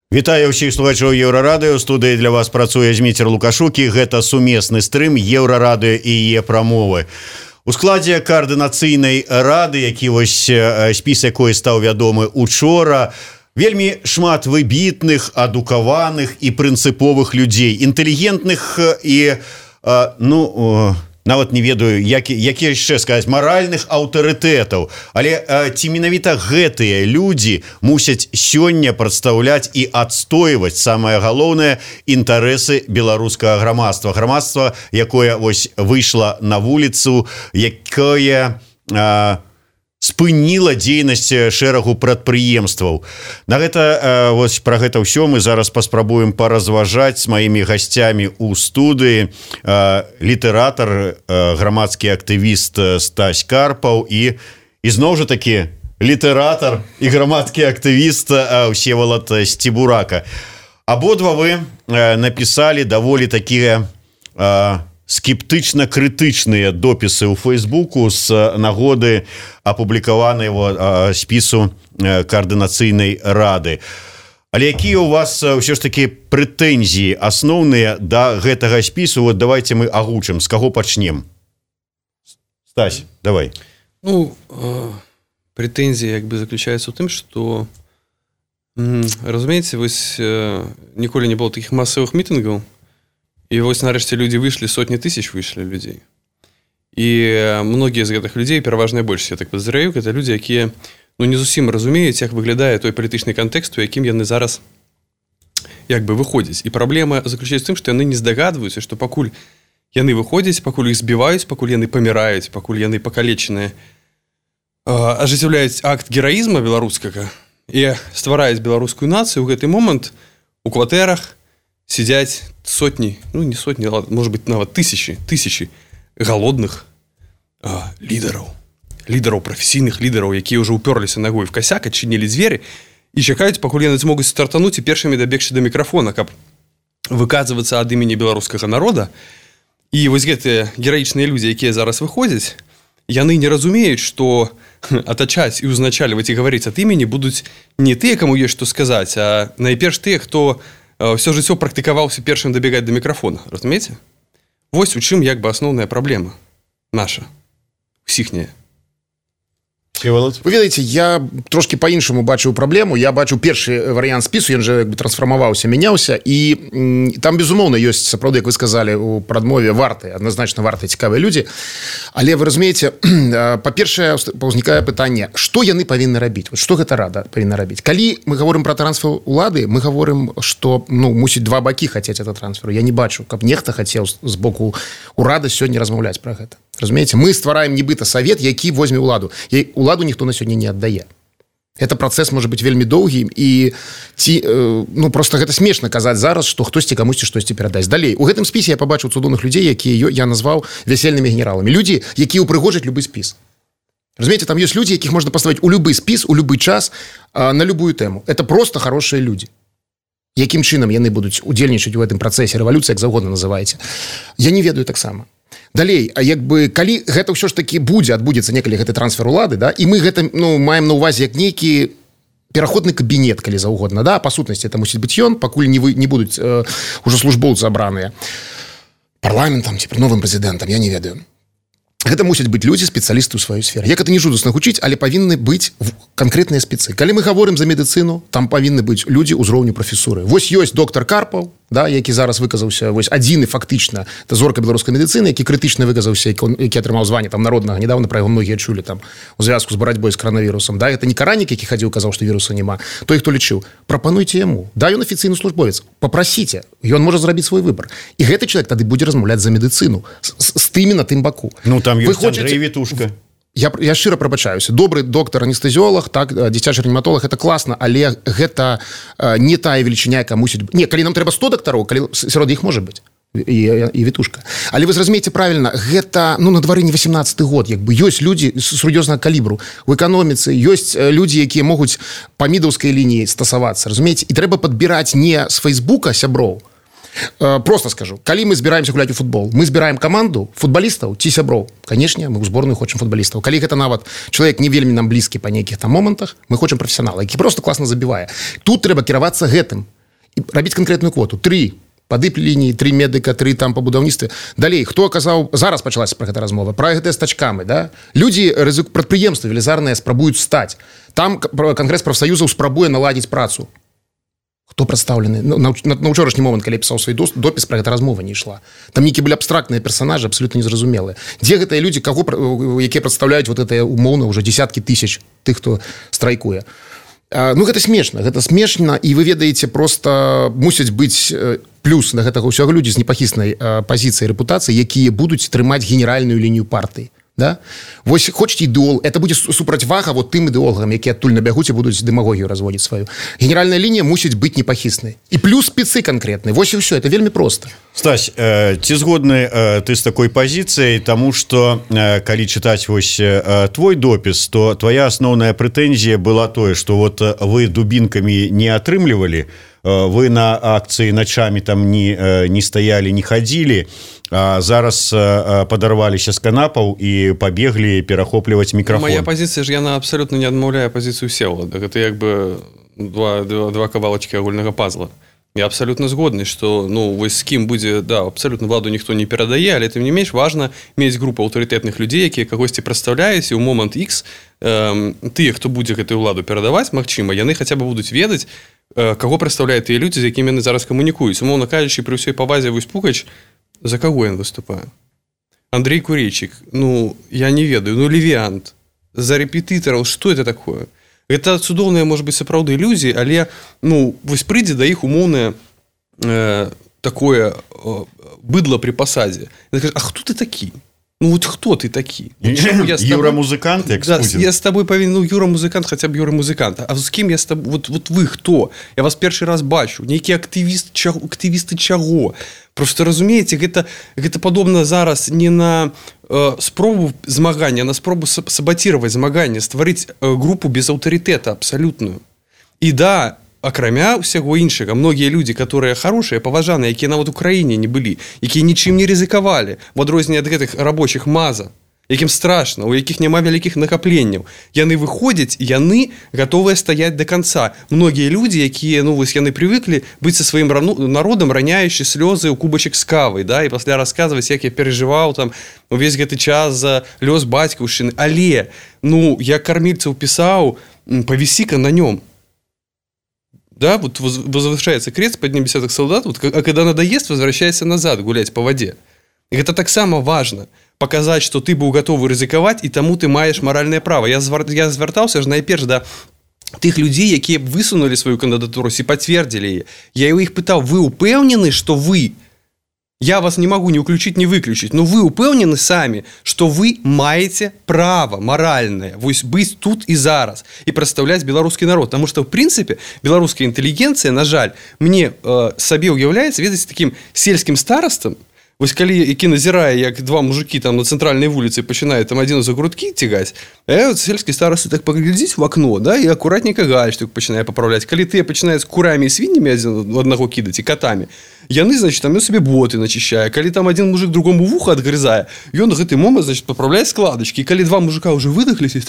Вітаю ўсіх слухачоў Еўрарадыё. Студыі для вас працуе Зміцер Лукашук, і гэта сумесны стрым Еўрарадыё і яе прамовы. У складзе каардынацыйнай рады, які вось спіс якой стаў вядомы учора, вельмі шмат выбітных, адукаваных і прынцыповых людзей, інтэлігентных і нават не ведаю, які яшчэ сказаць, маральных аўтарытэтаў. Але ці менавіта гэтыя людзі мусяць сёння прадстаўляць і адстойваць самае галоўнае інтарэсы беларускага грамадства. Грамадства, якое вось выйшла на вуліцу, якое спыніла дзейнасць шэрагу прадпрыемстваў. На гэта вось пра гэта ўсё мы зараз паспрабуем паразважаць з маімі гасцямі ў студыі. Літаратар, грамадскі актывіст Стась Карпаў і зноў жа такі літаратар і грамадскі актывіст Всеволод Стебурака. Абодва вы напісалі даволі такія скептычна-крытычныя допісы ў Фейсбуку з нагоды апублікаванага спісу каардынацыйнай рады. Але якія ў вас ўсё ж такі прэтэнзіі асноўныя да гэтага спісу? Вот давайте мы агучым, з каго пачнем. Стась, давай. Прэтэнзія заключаецца ў тым, што разумееце, вось ніколі не было такіх масавых мітынгаў. І вось нарэшце людзі выйшлі, сотні тысяч выйшлі людзей. І многія з гэтых людзей, пераважная большасць, я так падазраю, гэта людзі, якія не зусім разумеюць, як выглядае той палітычны кантэкст, у якім яны зараз выходзяць. І праблема заключаецца ў тым, што яны не здагадваюцца, што пакуль яны выходзяць, пакуль іх збіваюць, пакуль яны паміраюць, пакуль яны пакалечаныя, ажыццяўляюць акт гераізма беларускага і ствараюць беларускую нацыю, у гэты момант у кватэрах сидять сотни, не сотни, может быть, нават тысячи голодных лідараў, прафесійных лідараў, якія ўжо ўпёрліся ногой в косяк, адчынілі дзверы і чакаюць, пакуль яны змогуць стартануць і першымі дабегчы да мікрафона, каб выказвацца ад імені беларускага народа. І вось гэтыя гераічныя людзі, якія зараз выходзяць, яны не разумеюць, што атачаць і ўзначальваць і гаварыць ад імені будуць не тыя, каму ёсць што сказаць, а найперш тыя, хто все жыццё практыкаваўся першым дабегаць да мікрафона, разумееце? Вось у чым асноўная праблема наша, усіхняя. Вы ведаеце, я трошки по-іншаму бачыў праблему. Я бачыў першы варыянт спісу, ён же трансфармаваўся, мяняўся, і там, безумоўна, ёсць, сапраўды, як вы сказалі у прадмове, вартыя, адназначна вартыя цікавыя людзі. Але вы разумееце, па-першае, ўзнікае пытанне, што яны павінны рабіць? Што гэта рада павінна рабіць? Калі мы гаворым пра трансфер улады, мы гаворым, што мусіць два бакі хацець этот трансфер. Я не бачу, каб нехта хацеў з боку урада сёння размаўляць пра гэта. Разумееце, мы ствараем нібыта савет, які возьме ўладу. Уладу ніхто на сёння не аддае. Гэта працэс можа быць вельмі доўгі, і просто гэта смешна казаць зараз, што хтосьці камусьці штосьці перадасць. Далей, у гэтым спісе я пабачыў цудоўных людзей, якія я назваў вясельнымі генераламі. Людзі, якія ўпрыгожаць любы спіс. Разумееце, там ёсць людзі, якіх можна паставіць у любы спіс, у любы час, на любую тэму. Это просто хорошыя людзі. Якім чынам яны будуць удзельнічаць у гэтым працэсе рэвалюцыі, як заўгодна называеце, я не ведаю таксама. Далей, калі гэта ўсё ж такі адбудзецца некалі гэты трансфер улады, да, і мы гэта маем на ўвазе як нейкі пераходны кабінет, калі заўгодна, да, па сутнасці это мусіць быць ён, пакуль не будуць ужо службоўцы абраныя парламентам ці новым прэзідэнтам, я не ведаю. Гэта мусяць быць людзі, спецыялісты ў сваёй сферы. Як это не жудасна гучыць, але павінны быць канкрэтныя спецы. Калі мы гаворым за медыцыну, там павінны быць людзі ўзроўню прафесуры. Вось ёсць доктар Карпаў, да, які зараз выказаўся, вось адзіны фактычна, это зорка беларускай медыцыны, які крытычна выказаўся, які атрымаў званне там народнага, недавно пра яго многія чулі там у звязку з барацьбой з коронавірусам. Да, гэта не каранік, які хадзіў, казаў, што віруса няма. Той, хто лічыў, прапануйце яму. Да, ён афіцыйны службовец. Папрасіце, ён можа зрабіць свой выбар. І гэты чалавек тады будзе размаўляць за медыцыну з тымі на тым баку. Там ёсць Андрэй Вітушка. Я шчыра прабачаюся. Добры доктар-анестэзіолог, так, дзіцячы рэаніматолог, гэта класна, але гэта не тая велічыня, якая мусіць быць. Не, калі нам трэба 100 дактароў, калі сярод іх можа быць і Вітушка. Але вы зразумееце правільна, гэта на двары не 18-й год, ёсць людзі сур'ёзнага калібру у эканоміцы, ёсць людзі, якія могуць па мідаўскай лініі стасавацца, разумееце, і трэба падбіраць не з Фейсбука сяброў. Просто скажу, калі мы збіраемся гуляць у футбол, мы збіраем каманду футбалістаў ці сяброў. Канешне, мы ў зборную хочам футбалістаў. Калі гэта нават чалавек не вельмі нам блізкі па нейкіх там момантах, мы хочам прафесіянала, які просто класна забівае. Тут трэба кіравацца гэтым. рабіць канкрэтную квоту 3 па дып-лініі, 3 медыка, 3 там па будаўніцтве. Далей, хто аказаў, зараз пачалася пра гэта размова, пра гэтыя з тачкамі, да? Людзі, прадпрыемствы велізарныя спрабуюць стаць. Там Кангрэс прафсаюзаў спрабуе наладзіць працу. Хто прадстаўлены? На ўчорашні момант, калі пісаў свой допіс, пра гэта размова не ішла. Там нейкія былі абстрактныя персанажы, абсалютна незразумелыя. Дзе гэтыя людзі, якія прадстаўляюць вот гэтыя умоўна ўжо дзесяткі тысяч тых, хто страйкуе? Ну, гэта смешна, і вы ведаеце, просто мусяць быць плюс на гэтага ўсяго людзі з непахіснай пазіцыяй рэпутацыі, якія будуць трымаць генеральную лінію партыі. Да? Вось хочаце ідэол, это будзе супрацьвага вот тым ідэолагам, якія адтуль набягуць і будуць дэмагогію разводзіць сваю. Генеральная лінія мусіць быць непахіснай. І плюс спецы канкрэтныя. Вось і ўсё, это вельмі проста. Стась, ці згодны ты з такой пазіцыяй, таму што калі чытаць вось твой допіс, то твоя асноўная прэтэнзія была тое, што вот вы дубінкамі не атрымлівалі, вы на акцыі начамі там не стаялі, не хадзілі, а зараз падарваліся з канапаў і пабеглі перахопліваць мікрафон. Моя пазіцыя ж яна абсалютна не адмаўляе пазіцыю Всеволада. Гэта як бы два кавалачкі агульнага пазла. Я абсалютна згодны, што вось з кім будзе, да, абсалютна владу ніхто не перадае, але тым не менш важна мець групу аўтарытэтных людзей, якія кагосьці прадстаўляюць, і ў момант X тыя, хто будзе гэтую ўладу перадаваць, магчыма, яны хаця бы будуць ведаць, каго прадстаўляюць тыя людзі, з якімі яны зараз камунікуюць. Умоўна кажучы, пры ўсёй павазе вось Пукач, за каго ён выступае? Андрей Курейчик, я не ведаю, Левіант, за рэпетытараў, што это такое? Гэта цудоўная, можа быць, сапраўды ілюзіі, але, вось прыйдзе да іх умоўнае такое быдла пры пасадзе. Ён кажа, а хто ты такі? Вот хто ты такі? Юра-музыкант, як Спудзін. Я з табой павінен, Юра-музыкант, хаця б Юра-музыкант. А з кім я з табой? Вот вы хто? Я вас першы раз бачу. Нейкія актывісты чаго? Просто разумееце, гэта падобна зараз не на спробу змагання, а на спробу сабатировать змаганне, стварыць групу без аўтарытэта абсалютную. І да, акрамя ўсяго іншага, многія людзі, которые хорошыя, паважаныя, якія нават у краіне не былі, якія нічым не рызыкавалі, в адрозненне ад гэтых рабочых маза, якім страшна, у якіх няма вялікіх накапленняў. Яны выходзяць, яны гатовыя стаяць до конца. Многія людзі, якія, вось яны прывыклі быць са сваім народам, раняючы слёзы ў кубачак з кавай, да, і пасля расказваць, як я перажываў там увесь гэты час за лёс бацькаўшчыны. Але, я кармільцаў пісаў, павісі-ка на нём. Да, вот возвышается крест под ним десяток солдат, а когда надоест, возвращайся назад гулять по воде. И это так само важно. Показать, что ты быў гатовы рызыкаваць, і таму ты маеш маральнае права. Я звяртаўся ж найперш да тых людзей, якія б высунулі сваю кандыдатуру і пацвердзілі яе. Я ў іх пытаў, вы упэўнены, што вы? Я вас не могу ни уключить, ни выключить, но вы упэўнены самі, што вы маеце права маральнае вось быць тут і зараз і прадстаўляць беларускі народ, потому что в прынцыпе беларуская інтэлігенцыя, на жаль, мне сабе ўяўляецца, ведаць, такім сельскім старастам. Вось калі які назірае, як два мужики там на цэнтральнай вуліцы пачынаюць там адзін за грудкі цягаць, вот сельскі старасты так паглядзіць в окно, да, і акуратненька гальштук пачынае папраўляць. Калі тыя пачынаюць курамі і свіннямі адзін аднаго кідаць і катамі, яны, значит, там сабе боты начищае. Калі там адзін мужик другому вуха адгрызае, ён у гэты момант, значит, папраўляе складачкі. І калі два мужика ўжо выдахліся,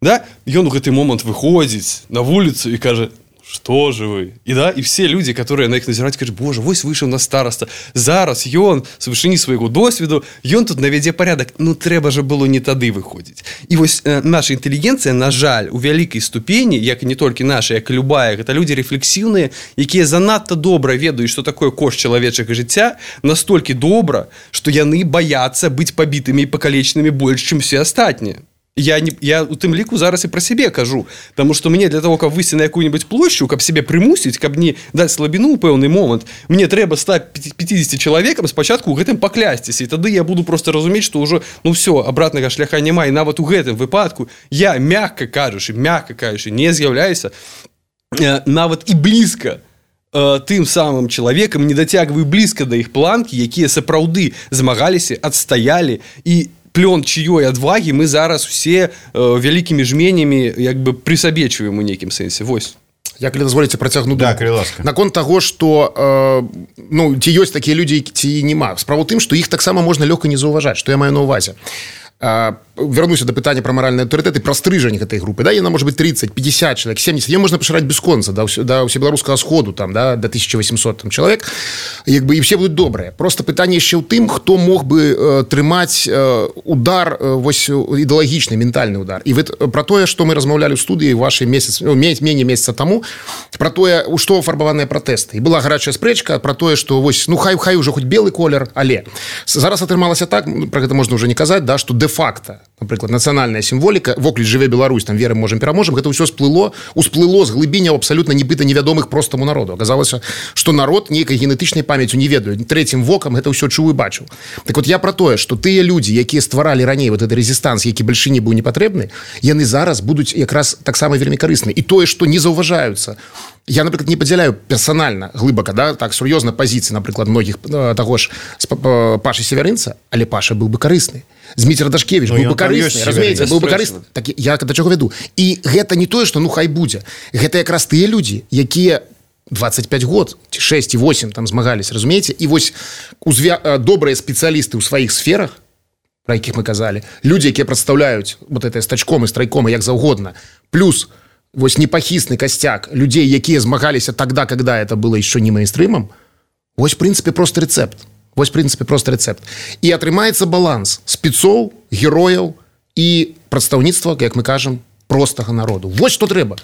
да, ён у гэты момант выходзіць на вуліцу і кажа: что же вы? И да, и все люди, которые на их назирают, кажут: боже, вось вышел на староста. Зараз ён с вышыні свайго досведу, ён тут навядзе порядок. Трэба же было не тады выходзіць. І вось наша інтэлігенцыя, на жаль, у вялікай ступені, як не толькі наша, як і любая, гэта людзі рэфлексіўныя, якія занадта добра ведаюць, што такое кошт чалавечага жыцця, настолькі добра, што яны баяцца быць пабітымі і пакалечанымі больш, чым все астатнія. Я у тым ліку зараз і пра сябе кажу, таму што мне для того, каб выйсці на якую-нибудь плошчу, каб сябе прымусіць, каб не даць слабіну ў пэўны момант, мне трэба стаць 50 чалавекам спачатку ў гэтым паклясціся, і тады я буду просто разумець, што ўжо, все, абратнага шляха няма, і нават у гэтым выпадку я, мякка кажучы, не з'яўляюся нават і блізка тым самым чалавекам, не дацягваю блізка да іх планкі, якія сапраўды змагаліся, адстаялі, і плён чыёй адвагі мы зараз усе вялікімі жменямі як бы прысабечваем у нейкім сэнсе. Вось. Я, калі дазволіце, працягну думку. Да, калі ласка. Наконт таго, што ці ёсць такія людзі, ці няма. Справа ў тым, што іх таксама можна лёгка не заўважаць, што я маю на ўвазе. вернуся до пытання про маральны аўтарытэт і пра стрыжань гэтай групы, да, яна можа быць 30, 50 чалавек, 70, ее можна пашыраць бясконца да ўсебеларускага сходу там, да, до 1800 там, чалавек, як бы, і все будуць добрыя. Просто пытанне яшчэ ў тым, хто мог бы трымаць удар, вось ідэалагічны, ментальны удар. І про тое, што мы размаўлялі ў студыі вашай меней месяца таму, про тое, у што афарбаваныя пратэсты. І была гарачая спрэчка про тое, што вось, ну хай ўжо хоць белы колер, але зараз атрымалася так, про гэта можна ўжо не казаць, да, што дэ-факта, напрыклад, нацыянальная сімволіка, вокліч жыве Беларусь, там верым, можам, пераможам, гэта ўсё усплыло з глыбіняў абсалютна нібыта невядомых простаму народу. Аказалася, што народ нейкай генетычнай памяццю не ведаю, трэцім вокам гэта ўсё чуў і бачыў. Так вот я про тое, што тыя людзі, якія стваралі раней вот гэты рэзістанс, які бальшыні быў не патрэбны, яны зараз будуць якраз таксама вельмі карысны. І тое, што не заўважаюцца. Я, напрыклад, не падзяляю персанальна глыбака, да, так сур'ёзна пазіцыі, напрыклад, многіх таго ж Пашы Севярынца, але Паша быў бы карысны. Зміцер Дашкевіч быў бы карысны, разумееце, быў бы карысны. Так я да чаго вяду. І гэта не тое, што ну хай будзе. Гэта якраз тыя людзі, якія 25 год, 6 і 8 там змагались, разумееце? І вось добрыя спецыялісты ў сваіх сферах, про якіх мы казалі, людзі, якія прадстаўляюць вот это стачком і страйком, як заўгодна, плюс вось непахісны костяк людей, якія змагаліся тогда, когда это было еще не мейнстрымом, вось, в принципе, просто рецепт. Вось, в принципе, просто рецепт. І атрымаецца баланс спецоў, герояў і прадстаўніцтва, як мы кажам, простага народу. Вось што трэба.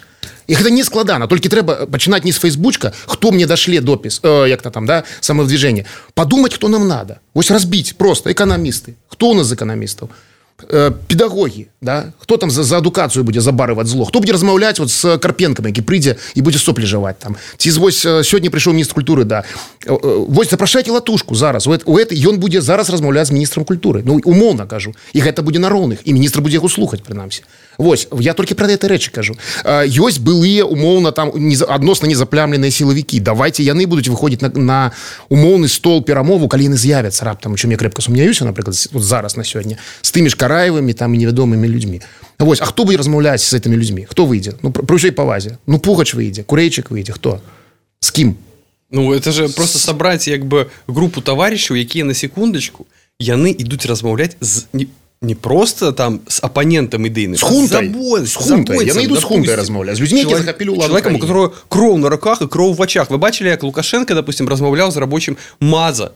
І гэта не складана, толькі трэба пачынаць не з фейсбучка, хто мне дашле допіс, як-то там, да, самовдвижение. Подумать, кто нам надо. Вось разбить просто экономисты. Кто у нас з экономистов? Педагогі, да? Хто там за адукацыю будзе забарываць зло, хто будзе размаўляць вот з Карпенкам, які прыйдзе і будзе соплі жаваць там, ці вось сёння прыйшоў міністр культуры, да, вось запрашайце Латушку зараз, ён будзе зараз размаўляць з міністрам культуры, ну умоўна кажу, і гэта будзе на роўных, і міністр будзе яго слухаць прынамсі. Вось, я толькі пра гэтай рэчы кажу. Ёсць былыя умоўна там адносна незаплямленыя сілавікі, давайте яны будуць выходзіць на умоўны стол перамову, калі яны з'явяцца раптам, у чым я крэпка сумняюся, напрыклад, вот зараз на сёння, з тымі ж Караевымі там і невядомымі людзьмі. Вось, а хто будзе размаўляць з гэтымі людзьмі? Хто выйдзе? Ну, пры ўсёй павазе. Ну, Пугач выйдзе, Курэйчык выйдзе, хто? З кім? Ну, это же просто сабраць як бы групу таварышаў, якія на секундачку, яны ідуць размаўляць з не просто там с оппонентом ідэйным, с хунтай. Яны ідуць з хунтай размаўляць, з людзьмі, які захапілі ўладу. Чалавекам, у которого кроў на руках і кроў в очах. Вы бачылі, як Лукашенко, допустим, размаўляў з рабочим Маза.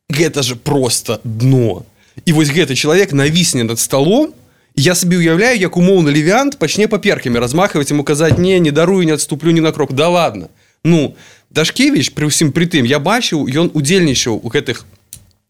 Гэта же просто дно. І вось гэты чалавек навісне над столом, я сабе уяўляю, як умоўны Левіант пачне паперкамі размахваць, яму казаць: не дарую, не адступлю ні на крок. Да ладно. Ну, Дашкевіч, пры ўсім пры тым, я бачыў, ён удзельнічаў у гэтых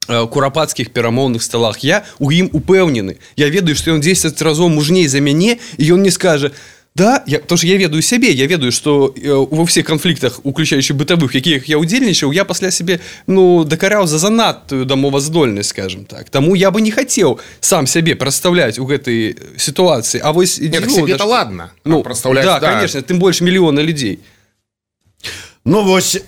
курапацкіх перамоўных сталах. Я у ім упэўнены. Я ведаю, што ён 10 разоў мужней за мяне, і ён не скажа: да, потому что я ведаю сябе, я ведаю, што во всех канфліктах, уключаючы бытавых, якіх я удзельнічаў, я пасля сябе, ну, дакараў за занадтую дамоваздольнасць, скажем так. Таму я бы не хацеў сам сябе прадстаўляць у гэтай сітуацыі. А вось нет, себе-то ладно. Ну, прадстаўляць, да, конечно, тым больш мільёна людзей. Ну вось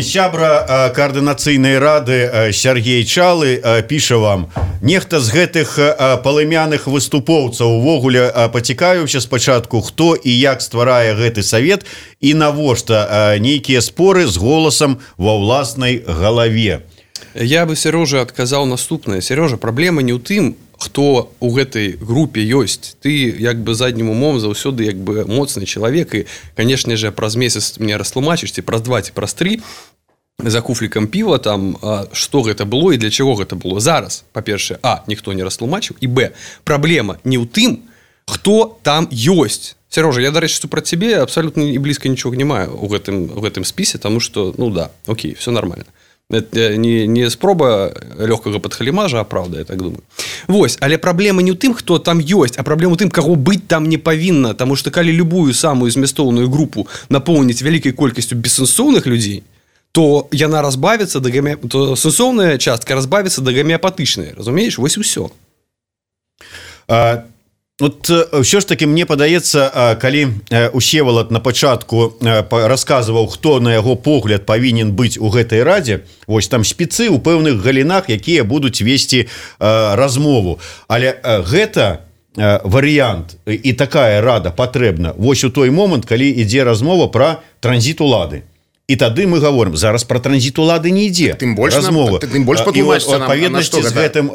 сябра коаардынацыйнай рады Сергей Чалы піша вам: нехта з гэтых палымяных выступоўцаў увогуле пацікавіўся спачатку, хто і як стварае гэты савет і навошта нейкія споры з голасам ва ўласнай галаве. Я бы Серёжа адказаў наступнае. Серёжа, праблема не ў тым, хто у гэтай групе ёсць. Ты як бы заднім умом заўсёды як бы моцны чалавек, і, канешне же, праз месяц мне растлумачыш, ці праз 2, ці праз 3 за куфлікам піва там, што гэта было і для чаго гэта было. Зараз, па-першае, ніхто не растлумачыў, і б, праблема не ў тым, хто там ёсць. Серёжа, я, дарэчы, супраць цябе абсалютна і блізка нічога не маю у гэтым спісе, таму што, ну да, окей, все нормально. Это не спроба лёгкага падхалімажа, а правда, я так думаю. Вось, але праблема не ў тым, хто там ёсць, а праблема ў тым, каго быць там не павінна, таму што калі любую самую змястоўную групу напоўніць вялікай колькасцю бессэнсоўных людзей, то яна разбавіцца то сэнсоўная частка разбавіцца да гамеапатычнай, разумееш? Вось і ўсё. Вот ўсё ж таки мне падаецца, калі Усевалад на пачатку расказваў, хто на яго погляд павінен быць у гэтай радзе, вось там спецы ў пэўных галінах, якія будуць весці размову, але гэта варыянт і такая рада патрэбна вось у той момант, калі ідзе размова пра транзіт улады. І тады мы говорим зараз про транзит улады не ідзе тым больш патлумачце нам адпаведнасці з гэтым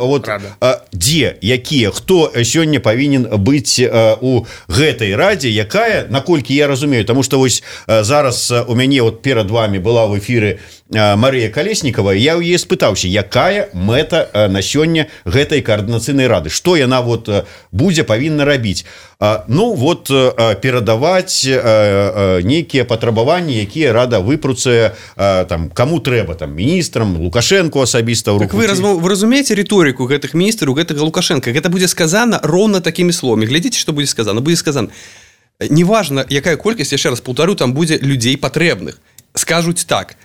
дзе якія хто сёння павінен быць у гэтай радзе якая наколькі я разумею тому что вось зараз у мяне вот перад вами была в эфиры Марыя Калеснікова я ў яе спытаўся якая мэта на сёння гэтай каардынацыйнай рады што яна вот будзе павінна рабіць ну вот перадаваць нейкія патрабаванні якія рада выпруцае там кому трэба там міністрам Лукашенко асабіста так вы разумееце рыторыку гэтых міністраў гэтага Лукашенко гэта будзе сказана роўна такімі словамі глядзіце што будзе сказано неважна якая колькасць яшчэ раз паўтару там будзе людзей патрэбных скажуць так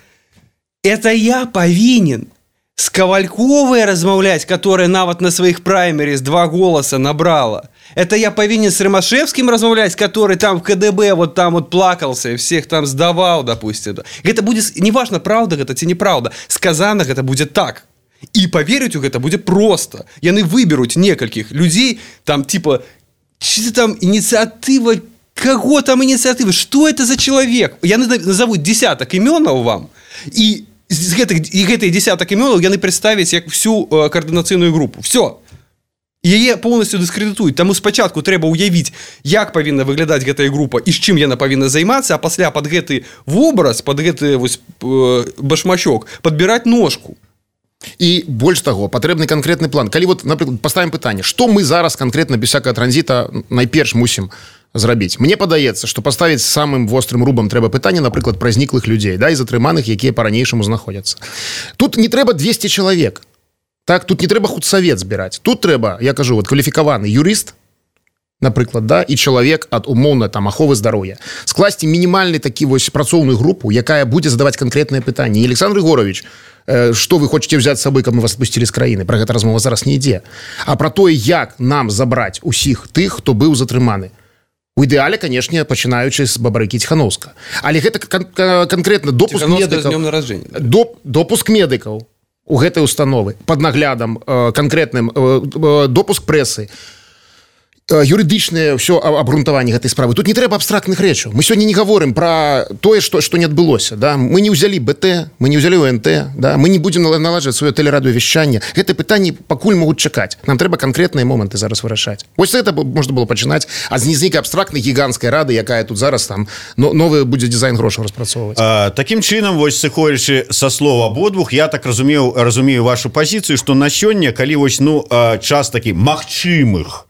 это я повинен с Ковальковой размаўлять, которая нават на своих праймерис 2 голоса набрала. Это я повинен с Ромашевским размаўлять, который там в КДБ вот там вот плакался и всех там сдавал, допустим. Это будет, неважно, правда это ці неправда, сказано это будет так. И поверить у гэта будет просто. Яны выберут некальких людей, там типа, что там инициатива, кого там инициатива, что это за человек? Яны назовут десяток имен вам, и з гэтых десяток імёнаў яны прадставяць як всю каардынацыйную групу. Все. Яе полностью дыскрэдытуюць. Таму спачатку трэба ўявіць, як павінна выглядаць гэтая група і з чым яна павінна займацца, а пасля пад гэты вобраз, пад гэты вось башмачок падбіраць ножку. І больш таго, патрэбны канкрэтны план. Калі вот, напрыклад, паставім пытанне, што мы зараз канкрэтна без всякага транзіта найперш мусім зрабіць. Мне падаецца, што паставіць самым вострым рубам трэба пытанне, напрыклад, пра зніклых людзей, да, і затрыманых, якія па-ранейшаму знаходзяцца. Тут не трэба 200 чалавек. Так, тут не трэба худсавет збіраць. Тут трэба, я кажу, вот кваліфікаваны юрыст, напрыклад, да, і чалавек ад умоўна там аховы здароўя. Скласці мінімальны такі вось працоўную групу, якая будзе задаваць канкрэтныя пытанні. І Александр Егорович, што вы хочаце взять з сабой, каб мы вас спусцілі з краіны? Пра гэта размова зараз не ідзе. А пра тое, як нам забраць усіх тых, хто быў затрыманы. У ідэале, канешне, пачынаючы з Бабарыкі Ціханаўска. Але гэта канкрэтна допуск медыкаў. Допуск медыкаў у гэтай установы пад наглядам канкрэтным, допуск прэсы, юрыдычнае ўсё абгрунтаванне гэтай справы. Тут не трэба абстрактных рэчаў. Мы сёння не гаворым пра тое, што не адбылося. Да? Мы не ўзялі БТ, мы не ўзялі ОНТ, да? Мы не будзем наладжваць сваё тэлерадыёвяшчанне. Гэтыя пытанні пакуль могуць чакаць. Нам трэба канкрэтныя моманты зараз вырашаць. Вось гэта можна было пачынаць, а з нейкай абстрактнай гіганцкай рады, якая тут зараз там новы будзе дызайн грошаў распрацоўваць. Такім чынам, вось сыходзячы са слова абодвух, я так разумею вашу пазіцыю, што на сёння, калі вось час такі магчымых,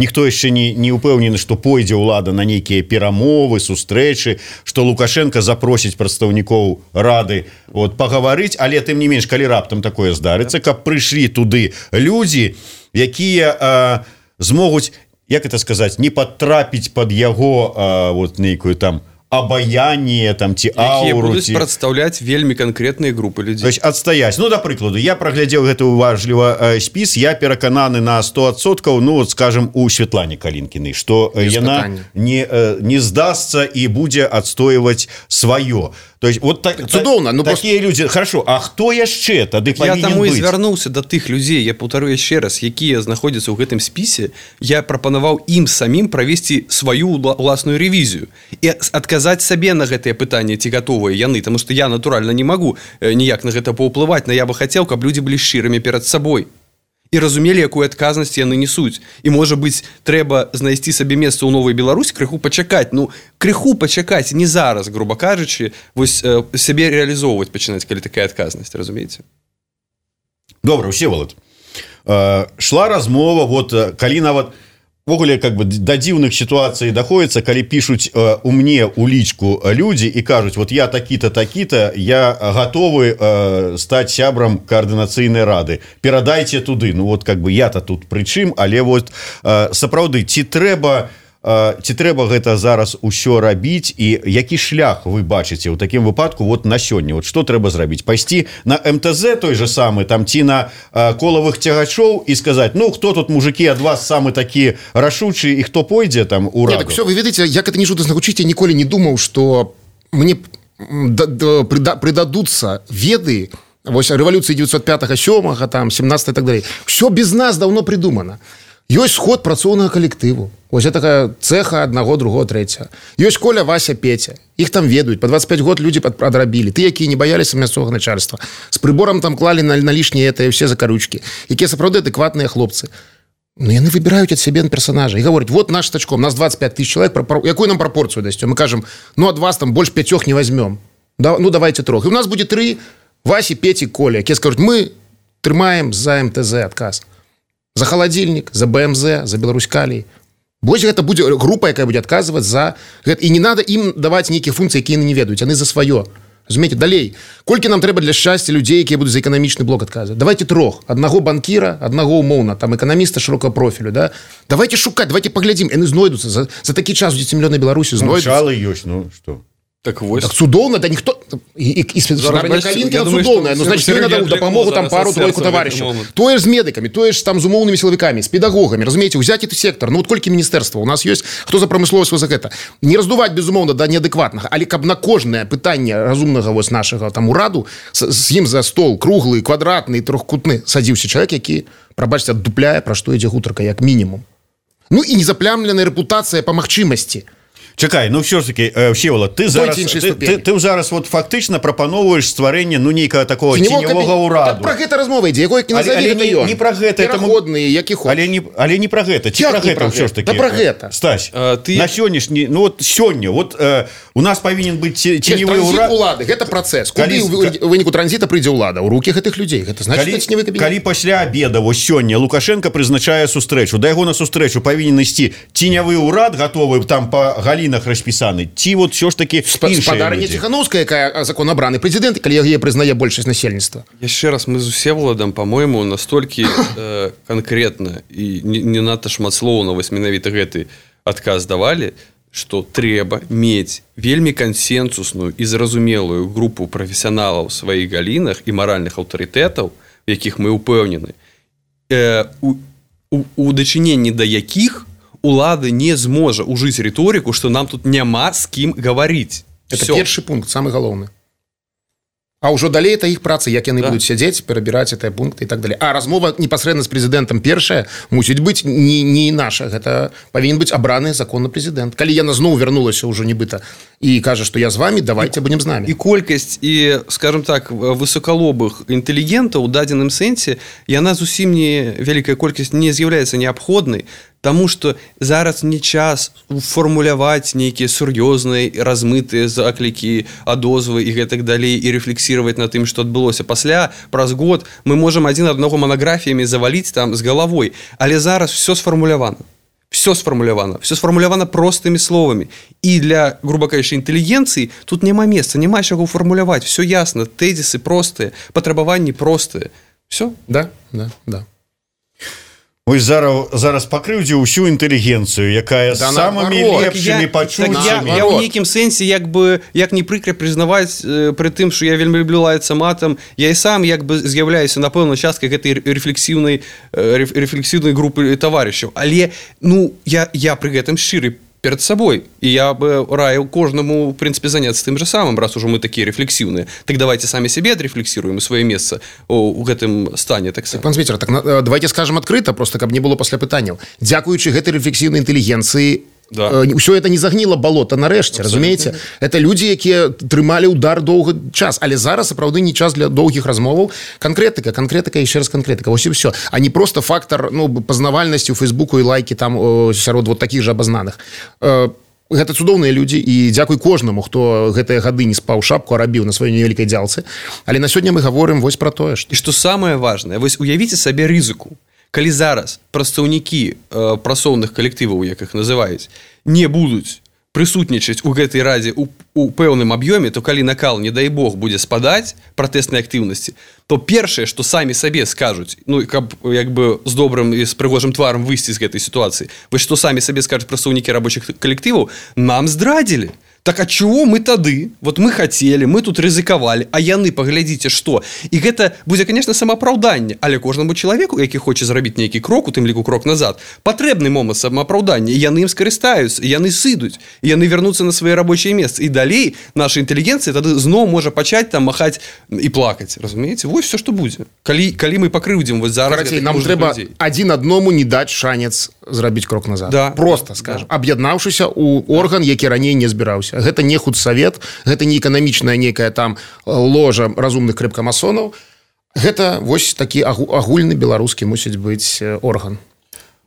ніхто яшчэ не ўпэўнены, што пойдзе ўлада на нейкія перамовы, сустрэчы, што Лукашенко запросіць прадстаўнікоў рады вот, пагаварыць, але тым не менш, калі раптам такое здарыцца, каб прыйшлі туды людзі, якія змогуць, як это сказаць, не падтрапіць пад яго вот, нейкую там абаяние там ці ауру, будуць прадстаўляць вельмі канкрэтныя групы людзей. То есть адстаяць. Ну, да прыкладу, я праглядзеў гэты уважліва спіс, я перакананы на 100%, ну, вот, скажем, у Светлане Калінкінай, што яна не здасца і будзе адстойваць сваё. То есть вот цудоўна, ну такія людзі, хорошо, а хто яшчэ тады павінен быць? Я таму і звярнуўся да тых людзей, я паўтару яшчэ раз, якія знаходзяцца ў гэтым спісе, я прапанаваў ім самім правесці сваю ўласную рэвізію і адказаць сабе на гэтыя пытанні, ці гатовыя яны, таму што я натуральна не магу ніяк на гэта паўплываць, но я бы хацеў, каб людзі былі шчырымі перад сабой і разумелі, якую адказнасць яны несуць. І, можа быць, трэба знайсці сабе месца ў Новай Беларусі, крыху пачакаць. Ну, крыху пачакаць, не зараз, груба кажучы, вось сябе рэалізоўваць пачынаць, калі такая адказнасць, разумееце? Добра, Всеволод. Шла размова, вот, калі нават ввогуле как бы да дзіўных сітуацый даходзіцца, калі пішуць у мне у лічку людзі і кажуць, вот я такі-то, такі-то, я гатовы стаць сябрам каардынацыйнай рады. Перадайце туды. Ну вот как бы я-то тут прычым, але вот сапраўды, ці трэба гэта зараз усё рабіць і які шлях вы бачыце ў такім выпадку вот на сёння, вот што трэба зрабіць, пайсці на МТЗ той же самы там ці на колавых цягачоў і сказаць, ну хто тут мужики ад вас самы такі рашучы і хто пойдзе там у раду? Так все, вы ведаеце, як это не жудасна гучыць, я ніколі не думаў, што мне прыдадуцца веды вось рэвалюцыі 905-7, там 17 і так далей. Все без нас даўно придумано. Ёсць сход працоўнага калектыву. Вось такая цеха аднаго, другого, трэцяга. Ёсць Коля, Вася, Петя. Іх там ведаюць. По 25 год людзі адрабілі. Ты, якія не баяліся мясцовага начальства. З прыборам там клалі на лішнія ўсе закаручкі. Якія сапраўды адэкватныя хлопцы. Ну, яны выбіраюць ад сябе персонажа і гавораць, вот наш тачком, нас 25 тысяч человек, якую нам прапорцыю дасць? Мы кажам, ну, ад вас там больш 5 не возьмем. Ну, давайте 3. І у нас будзе 3 Васі, Пеці, Коля, якія скажуць, мы трымаем за МТЗ адказ. За холодильник, за БМЗ, за Беларусь-Калій. Вось гэта будзе група, якая будзе адказваць за гэта. І не надо ім даваць нейкія функцыі, якія яны не ведаюць. Яны за сваё. Разумееце, далей. Колькі нам трэба для шчасця людзей, якія будуць за эканамічны блок адказваць? Давайте 3. Аднаго банкіра, аднаго умоўна, там эканаміста шырокага профілю, да? Давайте шукаць, давайте паглядзім. Яны знойдуцца. За такі час у дзецемлёнай Беларусі знойдуцца. Начало ёсць, ну што? Так вось. Так цудоўна, да ніхто... І спецзагарня Калінкіна цудоўная, ну, значит, ёй надо дапамогу там пару-тройку таварышаў. Тое ж з медыкамі, тое ж там з умоўнымі сілавікамі, з педагогамі, разумееце, узяць гэты сектор. Ну, вот колькі міністэрства у нас ёсць, хто за прамысловасць за гэта. Не раздуваць, безумоўна, да неадэкватнага, але каб на кожнае пытанне разумнага вось нашага там ураду з ім за стол круглы, квадратны, трохкутны садзіўся чалавек, які, прабачце, аддупляе, пра што ідзе гутарка, як мінімум. Ну, і незаплямленая рэпутацыя па магчымасці. Чакай, ну все ж таки, Всеволод, ты зараз вот фактично прапановуеш стварэнне, ну, нейкага такого теневого ураду. Так про гэта размова ідзе, якой не назове гэта ён. Не про гэта. Пераходныя, які ход. Але не про гэта. Ці про гэта все ж таки? Да про гэта. Стась, на сённяшні, ну вот сёння, вот у нас павінен быць теневы урад. Транзит улады, гэта працэс. Куды ў выніку транзіта прыйдзе ўлада? У рукі гэтых людзей. Гэта значыць, теневы кабінет. Калі пасля обеда, вось сёння, Лукашенко прызначае сустрэчу, да яго на сустрэчу павінен ісці теневы урад, гатовы там па галінах распісаны, ці вот все ж таки спадарня Ціхановская, якая законабраны прэзідэнт, калі яе прызнае большасць насельніцтва. Яшчэ раз, мы з Всеволадам, по-моему, настолькі конкретна і не надта шматслоўна вось менавіта гэты адказ давалі, што трэба мець вельмі кансенсусную і зразумелую групу прафесіяналаў у сваіх галінах і маральных аўтарытэтаў, у якіх мы ўпэўнены, у дачыненні да якіх улада не зможа ужыць рыторыку, што нам тут няма з кім гаварыць. Это першы пункт, самы галоўны. А ўжо далей это іх праца, як яны будуць сядзець, перабіраць гэтыя пункты і так далей. А размова непасрэдна з прэзідэнтам першая мусіць быць не наша. Гэта павінен быць абраны законны прэзідэнт. Калі яна зноў вярнулася ўжо нібыта і кажа, што я з вамі, давайте будзем з намі. І колькасць і, скажем так, высокалобых інтэлігентаў у дадзеным сэнсе, яна зусім не вялікая колькасць не з'яўляецца неабходнай, таму што зараз не час фармуляваць нейкія сур'ёзныя, размытыя заклікі, адозвы і гэтак далей, і рэфлексіраваць на тым, што адбылося. Пасля, праз год, мы можам адзін аднаго манаграфіямі заваліць там з галавой, але зараз все сфармулявана. Все сфармулявана простымі словамі. І для, грубо кажучы, інтэлігенцыі тут няма месца, няма чаго фармуляваць. Все ясна, тэзісы простыя, патрабаванні простыя. Все? Да. Вось зараз пакрыўдзіў усю інтэлігенцыю, якая самымі лепшымі пачуццямі. Я ў нейкім сэнсе, як не прыкра прызнаваць пры тым, што я вельмі люблю лаяцца матам, я і сам з'яўляюся, напэўна, часткай гэтай рэфлексіўнай групы таварышаў. Але, ну, я пры гэтым шчыры перед сабой. І я бы раіў кожнаму, в принципе, заняцца тым же самым, раз ужо мы такія рэфлексіўныя. Так давайте самі сябе адрефлексіруем сваё месца у гэтым стане. Так пан Свецер, так давайте скажем адкрыта, просто каб не было пасля пытанняў. Дзякуючы гэтай рэфлексіўнай інтэлігенцыі, ўсё это не загніла балота нарэшце, разумееце? Это людзі, якія трымалі ўдар доўгі час, але зараз сапраўды не час для доўгіх размоваў. Канкрэтыка, яшчэ раз канкрэтыка, вось і ўсё. А не просто фактар, ну, пазнавальнасці ў Фейсбуку і лайкі там сярод вот такіх жа абазнаных. Гэта цудоўныя людзі, і дзякуй кожнаму, хто гэтыя гады не спаў шапку, а рабіў на сваёй невялікай дзялцы. Але на сёння мы гаворым вось пра тое, што... І што самае важнае, вось уявіце сабе рызыку. Калі зараз прадстаўнікі працоўных калектываў, як іх называюць, не будуць прысутнічаць у гэтай радзе у пэўным аб'ёме, то калі накал, не дай Бог, будзе спадаць пратэснай актыўнасці, то першае, што самі сабе скажуць, ну, каб як бы з добрым і з прыгожым тварам выйсці з гэтай сітуацыі, вось што самі сабе скажуць прадстаўнікі рабочых калектываў, нам здрадзілі. Так а чего мы тады? Вот мы хотели, мы тут рызыкавалі, а яны, паглядзіце, што. І гэта будзе, конечно, самаапраўданне, але кожнаму чалавеку, які хоча зрабіць нейкі крок, у тым ліку крок назад, патрэбны момант самаапраўдання, і яны ім скарыстаюцца, яны сыдуць, і яны вернуцца на свае рабочыя месцы. І далей наша інтэлігенцыя тады зноў можа пачаць там махаць і плакаць. Разумееце? Вось все, што будзе. Калі мы пакрыўдзім вось зараз... Карацей, нам трэба адзін адному не даць шанец зрабіць крок назад. Да. Просто, скажем, аб'яднаўшыся ў орган, які раней не збіраўся. Гэта не худсавет, гэта не эканамічная нейкая там ложа разумных крэпкамасонаў. Гэта вось такі агульны беларускі мусіць быць орган.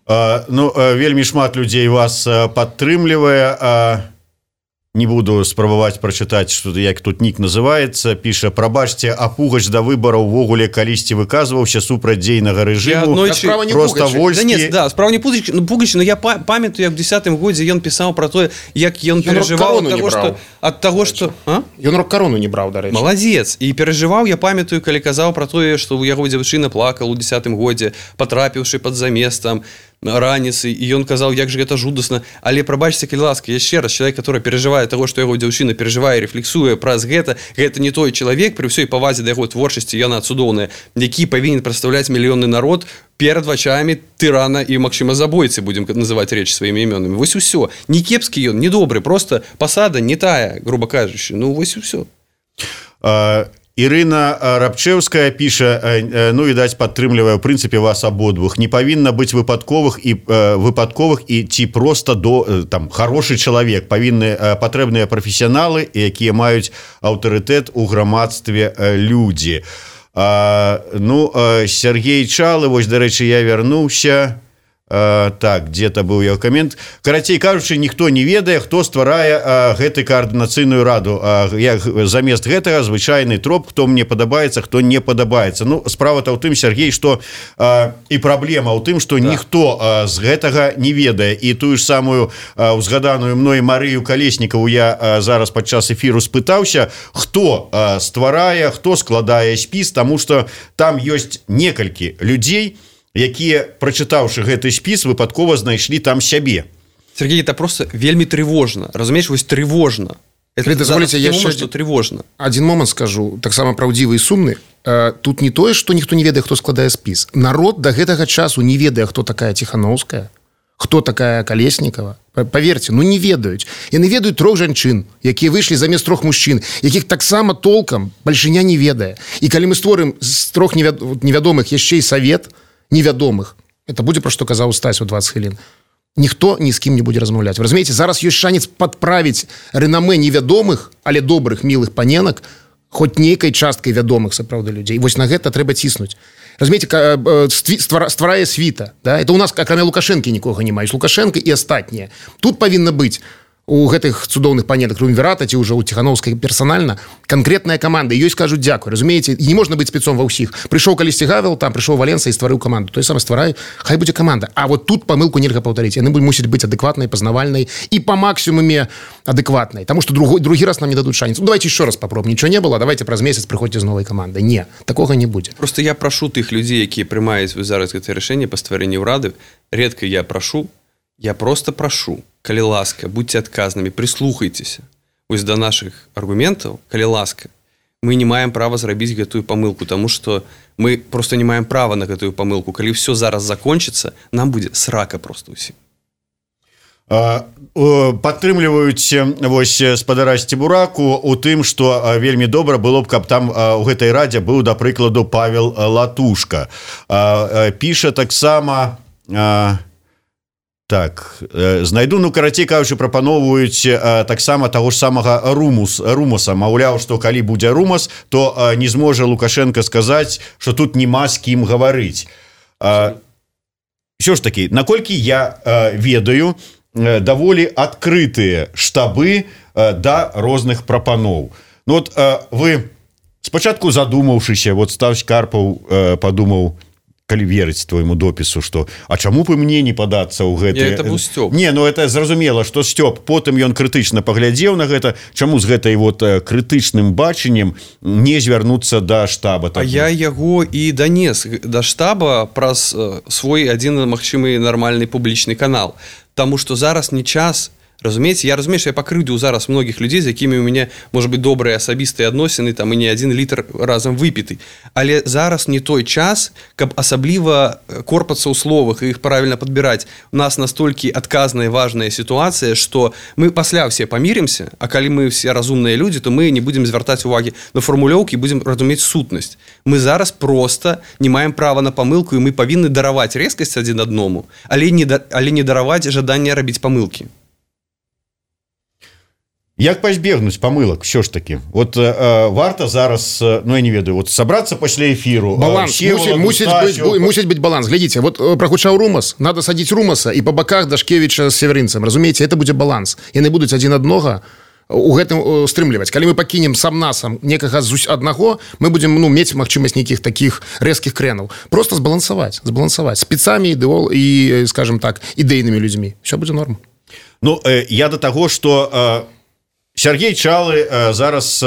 Вельмі шмат людзей вас падтрымлівае. Не буду спрабаваць прачытаць, што як тут нік называецца, піша: прабачце, а Пугач да выбараў увогуле калісьці выказваўся супраць дзейнага рэжыму. Просто вольскі. Да, справа не Пугач, но я памятаю, як у 10-м годзе ён пісаў пра тое, як ён перажываў ад таго, што... Ён рок-карону не браў, дарэчы. Маладзец. І перажываў, я памятаю, калі казаў пра тое, што ў яго дзяўчына плакала ў 10-м годзе, патрапіўшы пад заместам раніцы, і ён казаў, як же гэта жудасна. Але прабачце, калі ласка, яшчэ раз, чалавек, который перажывае таго, што яго дзяўчына перажывае, рефлексуе праз гэта не той чалавек, пры ўсёй павазе да яго творчасці, яна цудоўная, які павінен прадстаўляць мільённы народ перад вачамі тырана і, магчыма, забойцы, будзем называць рэч сваімі імёнамі. Вось усё. Не кепскі ён, не добры, просто пасада не тая, грубо кажучы. Ну, вось усё. Ірына Рабчэўская піша, відаць, падтрымлівае ў прынцыпе вас абодвух. Не павінна быць выпадковых і ці проста хорошы чалавек. Патрэбныя прафесіяналы, якія маюць аўтарытэт у грамадстве людзі. Сергей Чалы, вось, дарэчы, я вярнуўся. Так, где-то быў яго камент. Карацей кажучы, ніхто не ведае, хто стварае гэты каардынацыйную раду. Замест гэтага звычайны троп, хто мне падабаецца, хто не падабаецца. Справа-то ў тым, Сергей, што і праблема ў тым, што ніхто з гэтага не ведае. І тую ж самую узгаданую мной Марыю Калеснікаву я зараз падчас эфіру спытаўся, хто стварае, хто складае спіс, таму што там ёсць некалькі людзей, якія, прачытаўшы гэты спіс, выпадкова знайшлі там сябе. Сергей, это просто вельмі трывожна. Разумееш, вось трывожна. Дазволіце, я яшчэ трывожна. Адзін момант скажу, таксама праўдзівы і сумны. Тут не тое, што ніхто не ведае, хто складае спіс. Народ да гэтага часу не ведае, хто такая Ціханаўская, хто такая Калеснікава. Паверце, не ведаюць. Яны ведаюць 3 жанчын, якія выйшлі замест 3 мужчын, якіх таксама толкам бальшыня не ведае. І калі мы створым з 3 невядомых яшчэ і савет невядомых, это будзе, пра што казаў Стась у 20 хвілін, ніхто ні з кім не будзе размаўляць. Вы разумееце, зараз ёсць шанец падправіць рэнамэ невядомых, але добрых, мілых паненак, хоць нейкай часткай вядомых сапраўды людзей. Вось на гэта трэба ціснуць. Разумееце, стварае світа. Да? Это у нас, акрамя Лукашэнкі, нікога не маюць. Лукашэнка і астатнія. Тут павінна быць у гэтых цудоўных панетак Трумвірата ці ўжо ў Ціханаўскай персанальна канкрэтная каманда, ёй скажуць дзякуй. Разумееце, не можна быць спецом ва ўсіх. Прыйшоў калісьці Гавел, там прыйшоў Валенса і стварыў каманду. Той самы стварай, хай будзе каманда. А вот тут памылку нельга паўтарыць. Яны мусяць быць адэкватнай, пазнавальнай і па максімуме адэкватнай. Таму што другі раз нам не дадуць шанец. Давайте еще раз попробуем. Нічого не было, давайте праз месяц прыходзьце з новай камандай. Не, такога не будзе. Просто я прашу тых людзей, якія прымаюць зараз гэтае рашэнне па стварэнні ўрады. Редка я прашу. Я просто прошу, калі ласка, будьте адказнымі, прислухайтеся вось да наших аргументаў, калі ласка. Мы не маем права зрабіць гэтую памылку, таму што мы просто не маем права на гэтую памылку. Калі все зараз закончыцца, нам будзе срака просто ўсім. Падтрымліваюць вось спадара Сцебураку у тым, што вельмі добра было б, каб там у гэтай радзе быў, да прыкладу, Павел Латушка. Піша таксама... Так, знайду, карацей кажучы, прапаноўваюць таксама таго ж самага Румаса. Маўляў, што калі будзе Румас, то не зможа Лукашенко сказаць, што тут няма з кім гаварыць. Ўсё ж такі, наколькі я ведаю, даволі адкрытыя штабы да розных прапаноў. Вы спачатку задумаўшыся, Стась Карпаў падумаў, калі верыць твоему допісу, што а чаму б мне не падацца ў гэты... Это быў Сцёп. Не, это зразумела, што Сцёп. Потым ён крытычна паглядзеў на гэта. Чаму з гэтай крытычным бачаннем не звярнуцца да штаба? А я яго і данес да штаба праз свой адзін магчымы нармальны публічны канал. Таму што зараз не час Разумееце, я разумею, што я пакрыўдзіў зараз многіх людзей, з якімі у мяне можа быць добрыя асабістыя адносіны, там і не 1 літр разам выпіты. Але зараз не той час, каб асабліва корпацца ў словах і іх правільна падбіраць. У нас настолькі адказная важная сітуацыя, што мы пасля ўсе памірымся, а калі мы все разумныя людзі, то мы не будзем звяртаць увагі на фармулёўкі, будзем разумець сутнасць. Мы зараз проста не маем права на памылку, і мы павінны дараваць рэзкасць адзін адному, але не дараваць жаданне рабіць памылкі. Як пазбегнуць памылак все ж таки? Вот варта зараз, ну я не ведаю, вот собраться пасля эфиру. Баланс, мусить быть баланс. Глядите, вот прагучаў Румас, надо садить Румаса и по боках Дашкевича с Северинцем. Разумеете, это будет баланс. Яны будуць адзін аднога у гэтым стрымліваць. Калі мы пакінем сам насам некага з аднаго, мы будем мець магчымасць нейкіх таких рэзкіх крэнаў. Просто збалансаваць спецамі, і, скажем так, ідэйнымі людзьмі. Все будзе норм. Ну, я до того, что Сергей Чалы зараз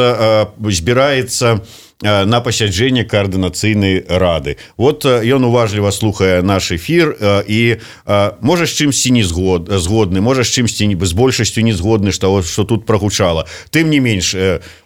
збіраецца на пасяджэнне коаардынацыйнай рады. Вот ён уважліва слухае наш эфир і можа з чымсьці не згодны, можа з чымсьці з большасцю не згодны, што тут прагучала. Тым не менш,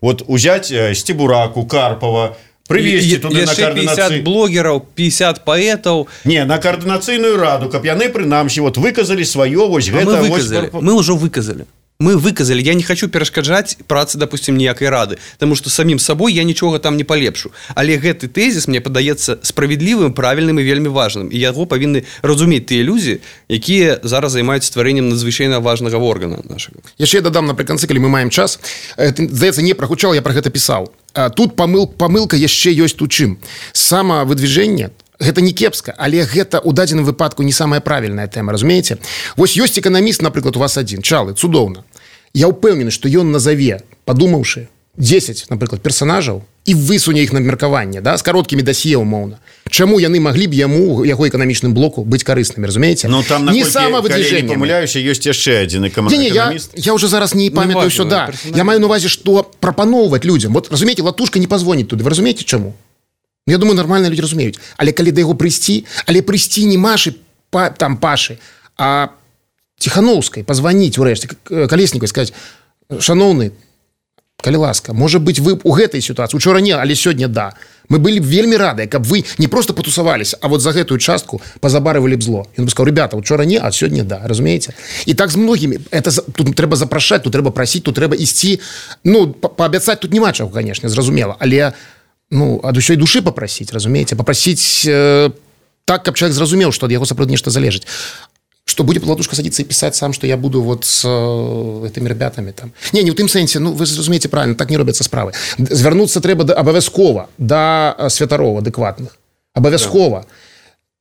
вот узяць Сцебураку, Карпова, привезці туды на коаардынацыйную 50 блогераў, 50 паэтаў. Не, на коаардынацыйную раду, каб яны прынамсі вот выказалі сваё вось гэта. Мы ўжо выказалі. Мы выказалі, я не хочу перашкаджаць працы, допустим, ніякай рады, потому что самім сабой я нічога там не палепшу. Але гэты тэзіс мне падаецца справядлівым, правільным і вельмі важным. І яго павінны разумець тыя людзі, якія зараз займаюцца стварэннем надзвычайна важнага органа нашага. Яшчэ я дадам напрыканцы, калі мы маем час. Здаецца, не прагучаў, я пра гэта пісаў. Тут памылка яшчэ ёсць у чым. Самавыдвижэнне гэта не кепска, але гэта ў дадзеным выпадку не самая правільная тэма, разумееце? Вось ёсць эканаміст, напрыклад, у вас адзін, Чалы, цудоўна. Я ўпэўнены, што ён назаве, падумаўшы, 10, напрыклад, персанажаў і высуне іх на меркаванне, да, з кароткімі дасье умоўна. Чаму яны маглі б яму, яго эканамічным блоку, быць карыснымі, разумееце? Ну, там, не самавыдвижэнне. Калі не памыляюся, ёсць яшчэ адзін эканаміст. Я уже зараз не памятаю ўсё, да. Я маю на увазе, што прапаноўваць людзям. Вот, разумееце, Латушка не пазвоніць туды. Вы разумееце, чаму? Я думаю, нормальные люди разумеюць. Але калі да яго прыйсці, але прыйсці не Машы, там Пашы, а Тихановскай, позвоніць урэшце, Калесніковай, сказаць: шаноўны, калі ласка, можа быць, вы у гэтай сітуацыі, учора не, але сёння да. Мы былі вельмі радыя, каб вы не просто потусаваліся, а вот за гэтую частку пазабарывалі б зло. Ён бы сказаў: ребята, учора не, а сёння да, разумееце? І так з многімі. Тут трэба запрашаць, тут трэба прасіць, тут трэба ісці. Ну, паабяцаць тут няма чаго, канешне, зразумела, але ад усёй душы папрасіць, разумееце? Папрасіць так, каб чалавек зразумеў, што ад яго сапраўды нешта залежыць. Что будет Латушка садиться и писать сам, что я буду вот с этими ребятами там. Не ў тым сэнсе, вы зразумееце правильно, так не робяцца справы. Звярнуцца трэба абавязкова да святароў адэкватных. Абавязкова.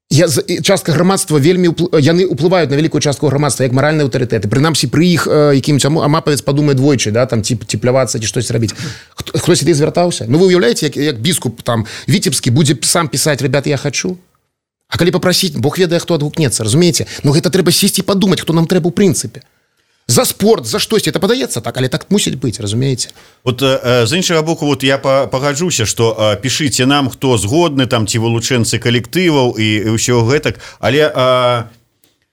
Частка грамадства вельмі яны ўплываюць на вялікую частку грамадства як маральныя аўтарытэты. Прынамсі пры іх якім-нибудь амапавец падумае двойчы, да, там цеплявацца ці штось рабіць. Хтось ідзе звяртаўся? Ну вы уяўляеце, як біскуп там Віцебскі будзе сам пісаць: ребята, я хочу. А калі папрасіць, Бог ведае, хто адгукнецца, разумееце? Ну гэта трэба сесці і падумаць, хто нам трэба ў прынцыпе. За спорт, за штосьці, это падаецца так, але так мусіць быць, разумееце? Вот з іншага боку, вот я пагаджуся, што пішыце нам, хто згодны, там ці вылучэнцы калектываў і ўсё гэтак, але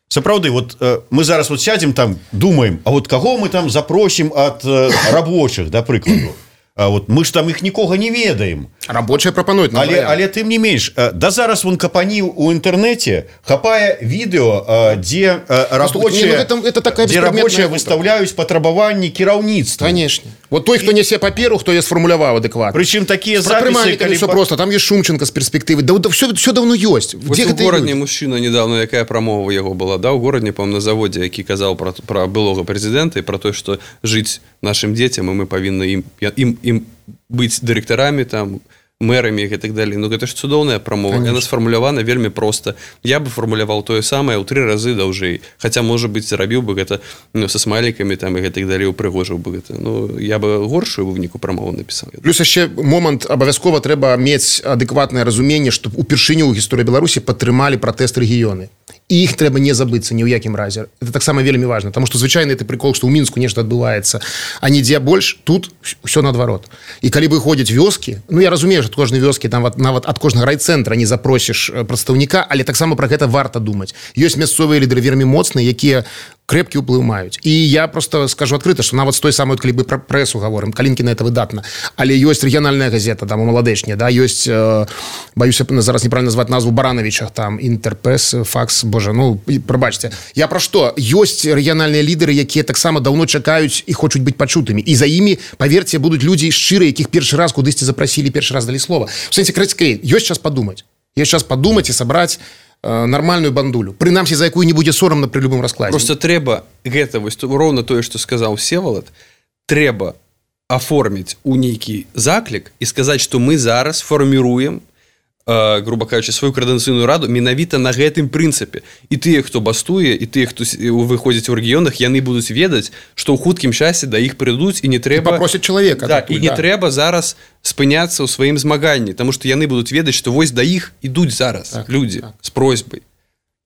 сапраўды, вот мы зараз вот сядзем там, думаем, а вот каго мы там запросім ад рабочых, да прыкладу? Вот мы ж там іх нікога не ведаем. Рабочыя прапануюць. Але тым не менш, да зараз вон капаніў у інтэрнэце хапае відэо, дзе рабочыя выстаўляюць патрабаванні кіраўніцтва. Конечно. Вот той, хто нясе паперу, хто я сфармуляваў адэкватна. Прычым такія запісы, калі все просто, там ёсць Шумченко з перспектывы. Да все давно ёсць. У горадні мужчына недавно, якая прамова яго была, да, у горадні, по-моему, на заводзе, які казаў пра былога прэзідэнта і пра тое, што жыць нашим дзецям, і мы павінны ім быць дырэктарамі, там, мэрамі і так далее. Ну, гэта ж цудоўная прамова. Яна сфармулявана вельмі проста. Я бы фармуляваў тое самае ў 3 разы даўжэй. Хаця, можа быць, рабіў бы гэта са смайлікамі там, і так далее, упрыгожыў бы гэта. Ну, я бы горшую выніку прамову напісаў. Плюс яшчэ момант, абавязкова трэба мець адэкватнае разуменне, што упершыню ў гісторыі Беларусі падтрымалі пратэст рэгіёны. І іх трэба не забыцца ні ў якім разе. Это таксама вельмі важна, таму што звычайна это прикол, што ў Мінску нешта адбываецца, а нідзе больш, тут ўсё наадварот. І калі выходзяць вёскі, ну я разумею, што ад кожнай вёскі там нават ад кожнага райцэнтра не запросіш прадстаўніка, але таксама пра гэта варта думаць. Ёсць мясцовыя лідары вельмі моцныя, якія крэпкі ўплыў маюць. І я просто скажу адкрыта, што нават з той самой, калі бы пра прэсу гаворым, Калінкіна это выдатна, але ёсць рэгіянальная газета, там у Маладэчне, да, ёсць, баюся зараз неправильно назваць назву Барановичах, там Інтэрпрэс, Факс, боже, ну, прабачце. Я пра што? Ёсць рэгіянальныя лідары, якія таксама даўно чакаюць і хочуць быць пачутымі. І за імі, паверце, будуць людзі шчырыя, якіх першы раз кудысьці запрасілі, першы раз далі слова. В сэнсе, крыцкай, ёсць час падумаць. Ёсць час падумаць і сабраць нормальную бандулю, прынамсі, за якую не будзе сорамна пры любым раскладзе. Просто трэба гэта, вось роўна тое, што сказаў Всеволод, трэба аформіць у нейкі заклік і сказаць, што мы зараз фарміруем, грубо кажучы, сваю коордынацыйную раду менавіта на гэтым прынцыпе. І тыя, хто бастуе, і тыя, хто выходзіць у рэгіёнах, яны будуць ведаць, што ў хуткім часе да іх прыйдуць і не трэба... І папросяць чалавека. Да, і не трэба зараз спыняцца ў сваім змаганні, таму што яны будуць ведаць, што вось да іх ідуць зараз людзі з просьбай.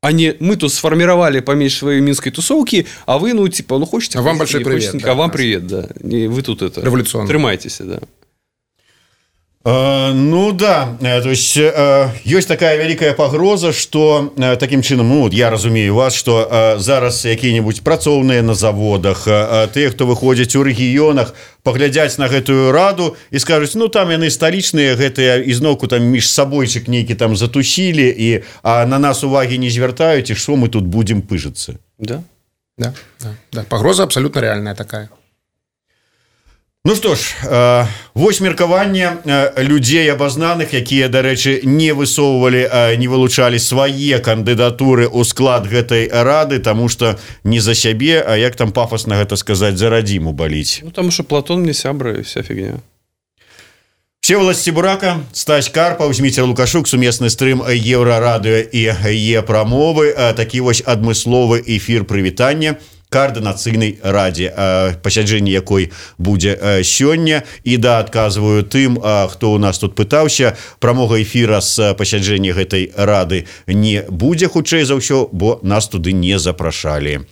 А не мы тут сфарміравалі паміж сваёй мінскай тусоўкі, а вы, ну, типа, ну, хочаце... А вам большой привет. А вам привет, да. Вы тут это... Революционно. Трымайцеся, да. Ну да, то есть ёсць такая вялікая пагроза, што такім чынам, ну, я разумею вас, што зараз якія-небудзь працоўныя на заводах, тыя, хто выходзяць у рэгіёнах, паглядзяць на гэтую раду і скажуць, ну там яны сталічныя, гэтыя ізноўку там між сабойчык нейкі там затусілі і на нас увагі не звяртаюць, і што мы тут будзем пыжыцца. Да. Да. Пагроза абсалютна рэальная такая. Ну што ж, вось меркаванне людзей абазнаных, якія, дарэчы, не высоўвалі, не вылучалі свае кандыдатуры ў склад гэтай рады, таму што не за сябе, а як там пафасна гэта сказаць, за радзіму баліць. Ну, таму што Платон мне сябра і вся фігня. Всеволод Стебурака, Стась Карпаў, Зміцер Лукашук, сумесны стрым Еўрарадыё і Е-прамовы, такі вось адмысловы эфір прывітання координацыйнай радзе, пасяджэнне якой будзе сёння. І да, адказваю тым, хто ў нас тут пытаўся, прамога эфіра з пасяджэння гэтай рады не будзе, хутчэй за ўсё, бо нас туды не запрашалі.